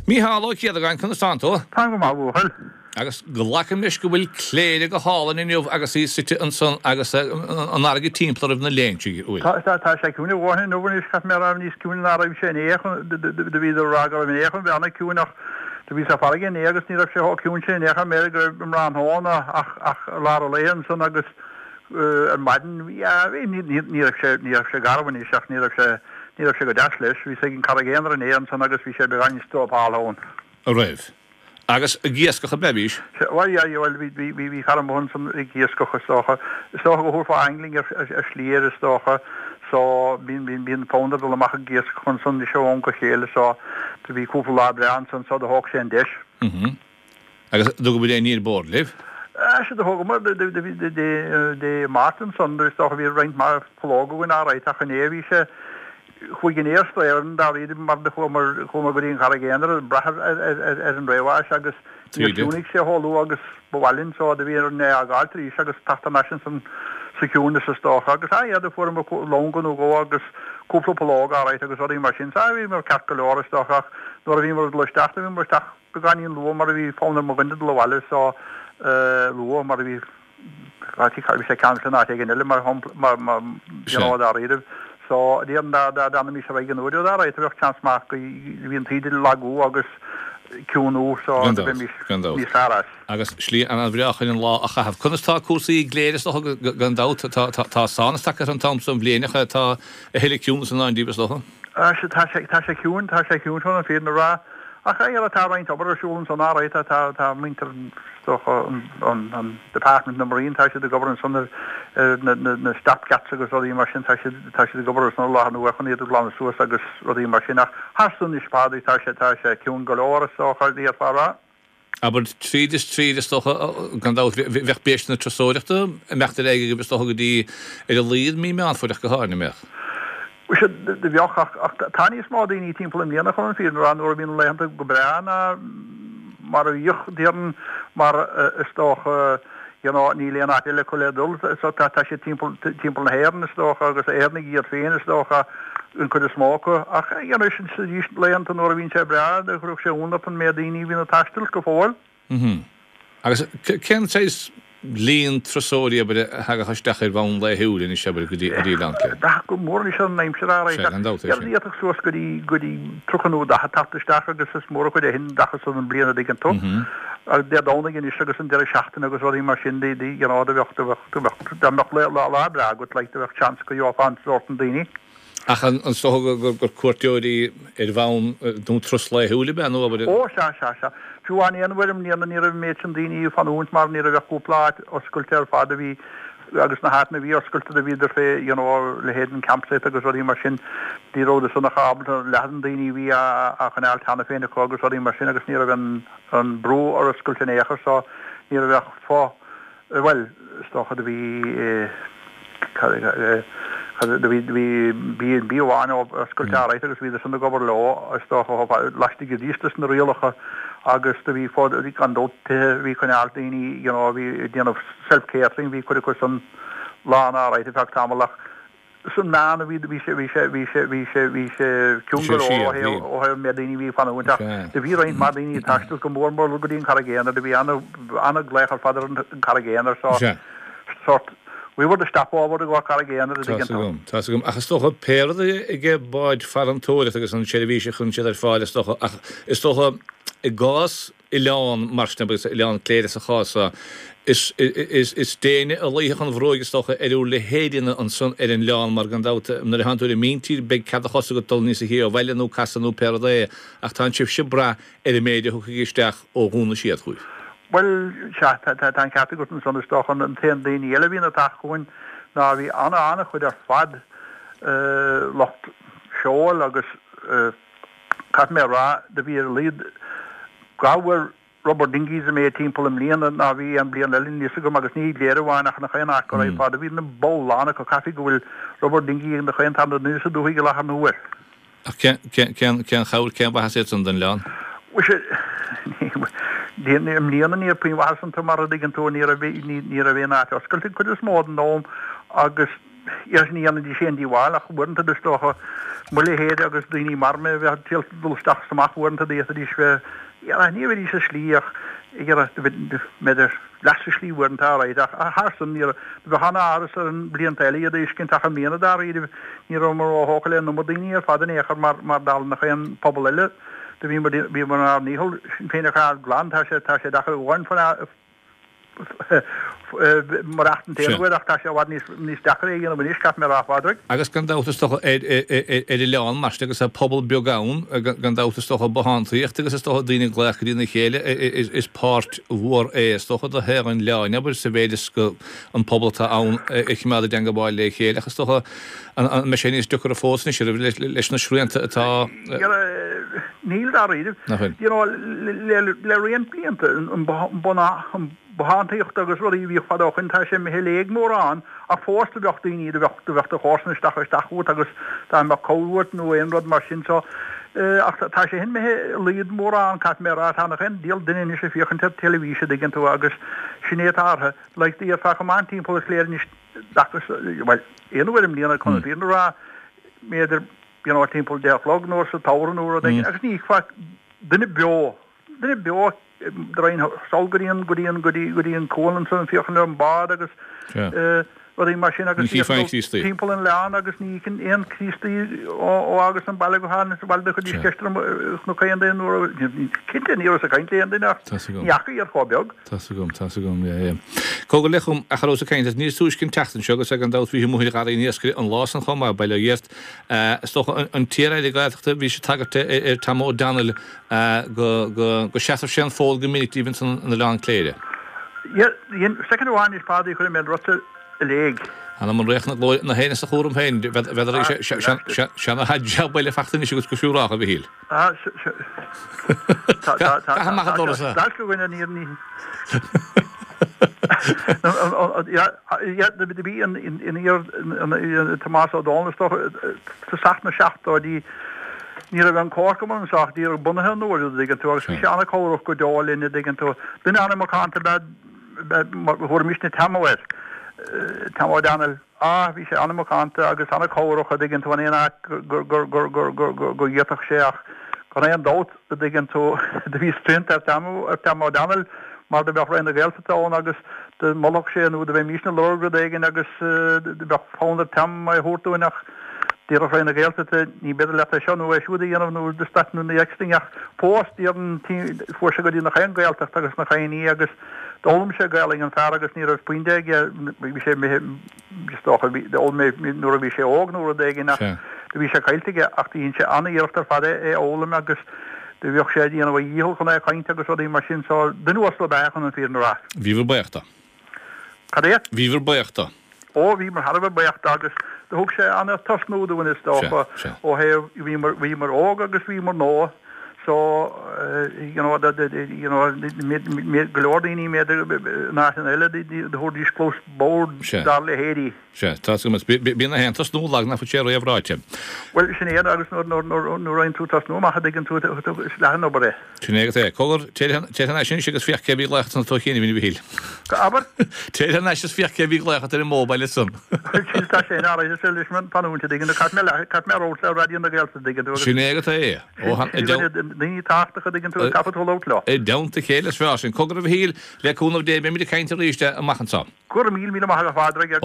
Mícheál Ó Céadagáin, conas tánn tú? Táim go maith, a bhuachaill. Agus glacaim leis go bhfuil Cléire go hálainn inniu agus í suite ansan agus an fharraige timpeall oraibh na Léinsí, an bhfuil? Tá, tá sé ciúin a dhóthain inniu anois, caithfidh mé a rá, níos ciúine ná raibh sé inné, do bhíodar ag rá go raibh inné chun bheith ana-ciúin ach do bhíos ar farraige inné agus ní raibh sé chomh ciúin sin inné, char mé go raibh mórán ann ach ach lár an lae ansan agus ar maidin, bhí, ní raibh sé, ní raibh sé garbh anois ach ní raibh sé, ní raibh sé go deas leis. Bhíos ag an Carraig Aonair inné ansan agus bhí sé beagáinín strópáltha ann. An raibh? Agus ag iascach ab ea bhís? Bhuel, yeah, bhuel, bhí, bhí, bhí, bhí cara amuigh ansan ag iascach is dócha. Is dócha go thabharfá angling ar, ar, ar shlí air is dócha. So, bíonn, bíonn, bíonn fonn air dul amach ag iascach ansan anois ó am go chéile so do bhí cúpla lá breá ansan so do thóg sé an deis. Mm-hmm. Agus an dtugaibh aon ní ar bord libh? Sea, do thógamar Dé Máirt ansan, is dócha bhí roinnt mhaith pollóg againn alright ach inné bhí sé, chuaigh an aer strae dáiríre mar do chuamar, chuamar go dtí an Charraig Aonair ag brath ar an réamhais agus níor chiúnaigh sé chomh luath agus ba mhaith linn so do bhí orainn é a fhágáilt arís agus teacht thar n-ais ansan sa chiúineas is dócha agus ah yeah do fuaireamar longa nó dhó agus cúpla pollóg alright agus rudaí mar sin so bhíomar ceart go leor is dócha ach nuair a bhíomar ag dul isteach do bhíomar isteach Beagáinín luath mar a bhí fonn ar mo dhuine dul abhaile so luath mar a bhí bhí sé ceangailte in áit éigin eile mar shampla mar mar you know dáiríribh so déarfainn dá dá d'fhanaimis ar aghaidh an uair alright bheadh seans maith go bhí an taoide ag lagú agus ciúnú so Gan dabht, bheimis gan dabht. níos fearr as. Agus slí an-bhreá chun an lá a chaitheamh. Conas tá cúrsaí i gCléire is dócha gan dabht tá tá tá sánas tagtha ar an t-am so den bhliain ach tá a thuilleadh ciúnas i ndán díbh is dócha. Sea tá sé tá sé ciúin tá sé ciúin chun an fírinne a rá. Ach yeah tá roinnt obair ar siúl ansan alright tá tá tá muintir is dócha an an an Department na Marine tá siad ag obair ansan ar ar na na na stop gaps agus rudaí mar sin tá siad tá siad ag obair ansan i láthair na huaire chun iad a ghlanadh suas agus rudaí mar sin ach thar san anois Pádraig tá sé tá sé ciúin go leor is dócha d'fhéadfá a rá. Abair tríd is tríd is dócha gan dabht bheadh béis na turasóireachta ag imeacht ar aghaidh agaibh is dócha go dtí ar a laghad mí Meán Fómhair ach go háirithe, an mbeadh? Sea, do bheadh, ach ach tá níos mó daoine timpeall i mbliana chun an fírinne a rá nuair a bhíonn na laethanta go breá ná mar a bhíodh, déarfainn, mar is dócha you know níl aon áit eile acu le dul so tá tá siad timpeall timpeall na hÉireann is dócha agus Éireannaigh iad féin is dócha an cuid is mó acu ach you know sin arís laethanta nuair a bhíonn sé breá chuirfeadh sé ionadh ort an méid daoine a bhíonn ag taisteal go fóill. Mm-hmm. Agus cén saghas líon turasóirí, abair, a thagadh isteach ar bhonn laethúil anois, abair, go dtí Oileán Cléire? Ag brath go mór anois ar an aimsir, alright, Sea, gan dabht é sin. D'fhéadfadh suas go dtí, go dtí 30 nó 40 teacht isteach agus is mór an chuid é sin dachas an bliain a dtuigeann tú. Agus Dé Domhnaigh anois agus an deireadh seachtaine agus rudaí mar sin, do, you know, do bheadh, do bheadh, do bheadh, dá mbeadh lá, lá breá agat, like, do bheadh seans go gheofá an sórt sin daoine. Ach an dócha gur cuairteoirí ar bhonn nó turas laethúil ab ea nó abair? Ó, sea, sea, sea. Fiú amháin aon uair i mbliana ní raibh an méid sin daoine ag fanúint mar ní raibh ach cúpla áit oscailte ar fad a bhí agus na háiteanna a bhí oscailte do bhíodar fé you know leithéid an campsite agus rudaí mar sin ní rabhadar san ach ábalta leath den daoine a bhí á choinneáil cheana féin acu agus rudaí mar sin agus ní raibh an an brú ar oscailt in aon chor so ní raibh ach fo Bhuel, is dócha do bhí, do bhí, do bhí B&B amháin oscailte alright agus bhíodar san ag obair leo, is dócha, laistigh arís des na rialacha agus do bhí fud, gan dabht, tithe a bhí ag coinneáil daoine, you know, a bhí ag déanamh self-catering, bhí cuid acu san lán alright ar feadh tamaill ach San meán a bhí bhí sé bhí sé bhí sé bhí sé bhí sé ciúin go leor ó thaobh ó thaobh an méid daoine a bhí ag fanúint ach do bhí roinnt mhaith daoine ag taisteal go mór mór go dtí an Charraig Aonair do bhí ana ana-ghlaoch ar fad ar an Charraig Aonair so sort we were the stopover i gcomhair Carraig Aonair a dtuigeann tú. Tá's agam, tá's agam. Ach is dócha pé rud é ag báid farantóireachta agus an seirbhís a chuireann siad ar fáil is dócha ach is dócha i gcás oileán mar sin, agus Oileán Cléire sa chás seo, is is déine a luífeadh an bhruaig is dócha ar bhur leithéidíne ansan ar an oileán mar gan dabht nuair a thánn tú ar an míntír beidh cead a chos agat dul níosa shia ó bhaile nó casadh nó pé rud é ach tánn sibhse ag brath ar an méid a thiocfaidh isteach ó Dhún na Séad chugaibh. Bhuel, sea, tá an ceart agat ansan is dócha. An t-aon daoine eile a bhíonn ag teacht chugainn ná bhí ana-ana-chuid ar fad lucht seoil agus Caithfidh mé a rá, do bhí ar a laghad gabhar rubber dinghies an méid timpeall i mbliana ná bhí aon bliain eile, níl fhios agam, agus ní i gCléire amháin ach i ngach aon áit go raibh fad. Do bhí na bpoll lán acu. Caithfidh go bhfuil rubber dinghy ag nach aon tarna duine sa dúthaigh i láthair na huair. Ach cén, cén, cén, cén chabhair, cén mhaitheas iad san don oileán? Mhuise, ní, i mbliana ní raibh puinn mhaitheas iontu mar a dtuigeann tú, ní raibh, ní, ní raibh aon áit oscailte an cuid is mó den am agus. Iarraidh ní dhéanfaidís aon díobháil ach uaireanta is dócha mo leithéid agus daoine mar mé a bheith ag triail dul isteach is amach uaireanta d'fhéadfaidís bheith iarraidh ní bheidís sa slí ach ag iarraidh b'fhéidir leath sa slí uaireanta alright ach thar san ní raibh bheadh an-amhras orainn blianta eile iad a fheiscint ach i mbliana dáiríre ní rabhamar róthógtha le an iomad daoine ar fad in aon chor mar mar dála nach aon pobal eile do bhíomar bhíomar inár ndícheall sinn féin a choinneáil glan tá sé tá sé deacair amháin mar acht an t-aon uair ach tá sé i bhfad níos deacra é a dhéanamh anois, caithfidh mé a rá, a Phádraig. Agus gan dabht is dócha ar oileán mar sin agus tá pobal beag ann, gan dabht is dócha bothántaíocht agus is dócha daoine ag glaoch go dtína chéile, is páirt mhór é is dócha de shaol an oileáin, abair, sa mhéid is go an pobal atá ann a choimeád i dteangabháil le chéile ach is dócha an mbeidh sé níos deacra fós anois leis na srianta atá Níl dáiríre. Nach bhfuil? You know, le roinnt blianta, an bothántaíocht agus rudaí a bhíodh fadó ó shoin, tá sé imithe i léig mórán, ach fós do bheadh daoine, do bheadh, do bheadh do chomharsan isteach, isteach chugat agus dá mbeadh cabhair uait nó aon rud mar sin so, ach tá sé sin imithe i laghad mórán, caithfidh mé a rá, tá nach aon diabhal duine anois ag féachaint ar teilifís a dtuigeann tú agus sin é atá orthu, like, déarfá chomh maith timpeall ar Chléire anois, bhuel, aon uair i mbliana chun an fírinne a rá, b'fhéidir, you know, timpeall 10 a chlog nó sa tsamhradh nó rud éigin, agus ní fheicfeá duine beo, duine beo draein sall go dtí an, go dtí an, go dtí, go dtí an cuan ansan ag féachaint ar an bád agus rudaí mar sin agus timpeall an oileáin agus ní fheicfinn aon Chríostaí ó fhágas an baile go háirithe sa bhaile do chuiridís ceist orm chonac aon duine nó cinnte ní rabhas ag caint le aon duine ach ní fhaca iad chomh beag. Tá's agam, tá's agam, yeah, yeah. Cogar le chum, ach a rabhas ag caint as níos túisce an tseachtain seo agus gan dabht bhí amuigh ar gharraí an iascaire an lá san chomh maith, bail ó Dhia ort. Is dócha an t-iar-aire Gaeltachta, bhí sé ag tagairt ar Tom O'Donnell go, go, go seasfadh sé an fód go minic díobh ansan in Oileán Cléire. Yeah, soicind amháin anois Pháidí, chuirfidh mé an rud i léig. Anam an Ríocht na Glóire na hÉireann sa chúram féin, bheadar seana-jab eile fachta anois agat go siúrálta, a Mhichíl. Caith amach an doras é. Bhí an iar Tomás Ó Dónaill is dócha tosach na seachtóidí ní raibh an Comharchumann anso ach díreach bunaithe an uair an dtuigeann tú agus bhí sé an-chabhrach go deo linn an dtuigeann tú. Duine an-mhacánta ab ea thabharfaimisne Tammo air, Tam O'Donnell. Ah, bhí sé an-mhacánta agus an-chabhrach a dtuigeann tú in aon áit gur, gur, gur, gur, gur, gur, go bhféadfadh sé ach gan aon dabht a dtuigeann tú do bhí srianta ar Tam, ar Tam O'Donnell mar do bheadh Roinn na Gaeltachta ann agus do mholfadh sé nó do bheimísne ag lorg rud éigin agus do bheadh fonn ar Tam é a thabhairt dúinn ach déarfadh Roinn na Gaeltachta ní b'fhéidir leat é seo nó é siúd a dhéanamh nó this that nó the next thing ach fós déarfainn fuair sé go dtí nach aon Ghaeltacht agus nach aon ní agus D'fhoghlaim sé Gaelainn an fear agus ní raibh puinn de aige, bhí sé imithe, is dócha, d'fhoghlaim é nuair a bhí sé óg nó rud éigin ach do bhí sé caillte aige ach do dhein sé an-iarracht ar fad é a fhoghlaim agus do bhíodh sé ag déanamh a dhícheall chun é a chaint agus rudaí mar sin so duine uasal ab ea é chun an fírinne a rá. Bhíobhair buíoch dó. Cad é? Bhíobhair buíoch dó. Ó, bhíomar thar a bheith buíoch dó agus do thug sé an-tosnú dúinn is dócha ó thaobh, bhíomar, bhíomar óg agus bhíomar nua so you know, you know, go leor daoine b'fhéidir in áiteanna eile do thabharfaidís cluas bhodhar dá leithéidí. Sea, tá a fhios agam, bíonn aon tosnú lag nach bhfuil sé réamhráite. Bhuel, sin é agus nuair, nuair, nuair, nuair a fhaigheann tú tosnú amach a dtuigeann tú is leath an obair é. Sin é agat é. Cogar, téir thar n-ais anois agus féach cé a bhí ag glaoch ansan tú féin a Mhichíl. Abair? Téir thar n-ais is féach cé a bhí ag glaoch ort ar an mobile ansan. Sin tá sé in áirithe is leis an fanúint a dtuigeann tú. Caithfidh mé le, caithfidh mé labhairt le Raidió na Gaeltachta a dtuigeann tú agus. Sin é agat é. Ó, han, i dteann. Daoine tábhachtacha a dtuigeann tú, caithfidh tú labhairt leo. I dteannta a chéile is fearr sin. Cogar a Mhichíl, le cúnamh Dé beimid ag caint arís amach anseo. Go raibh míle maith agat a Phádraig agus.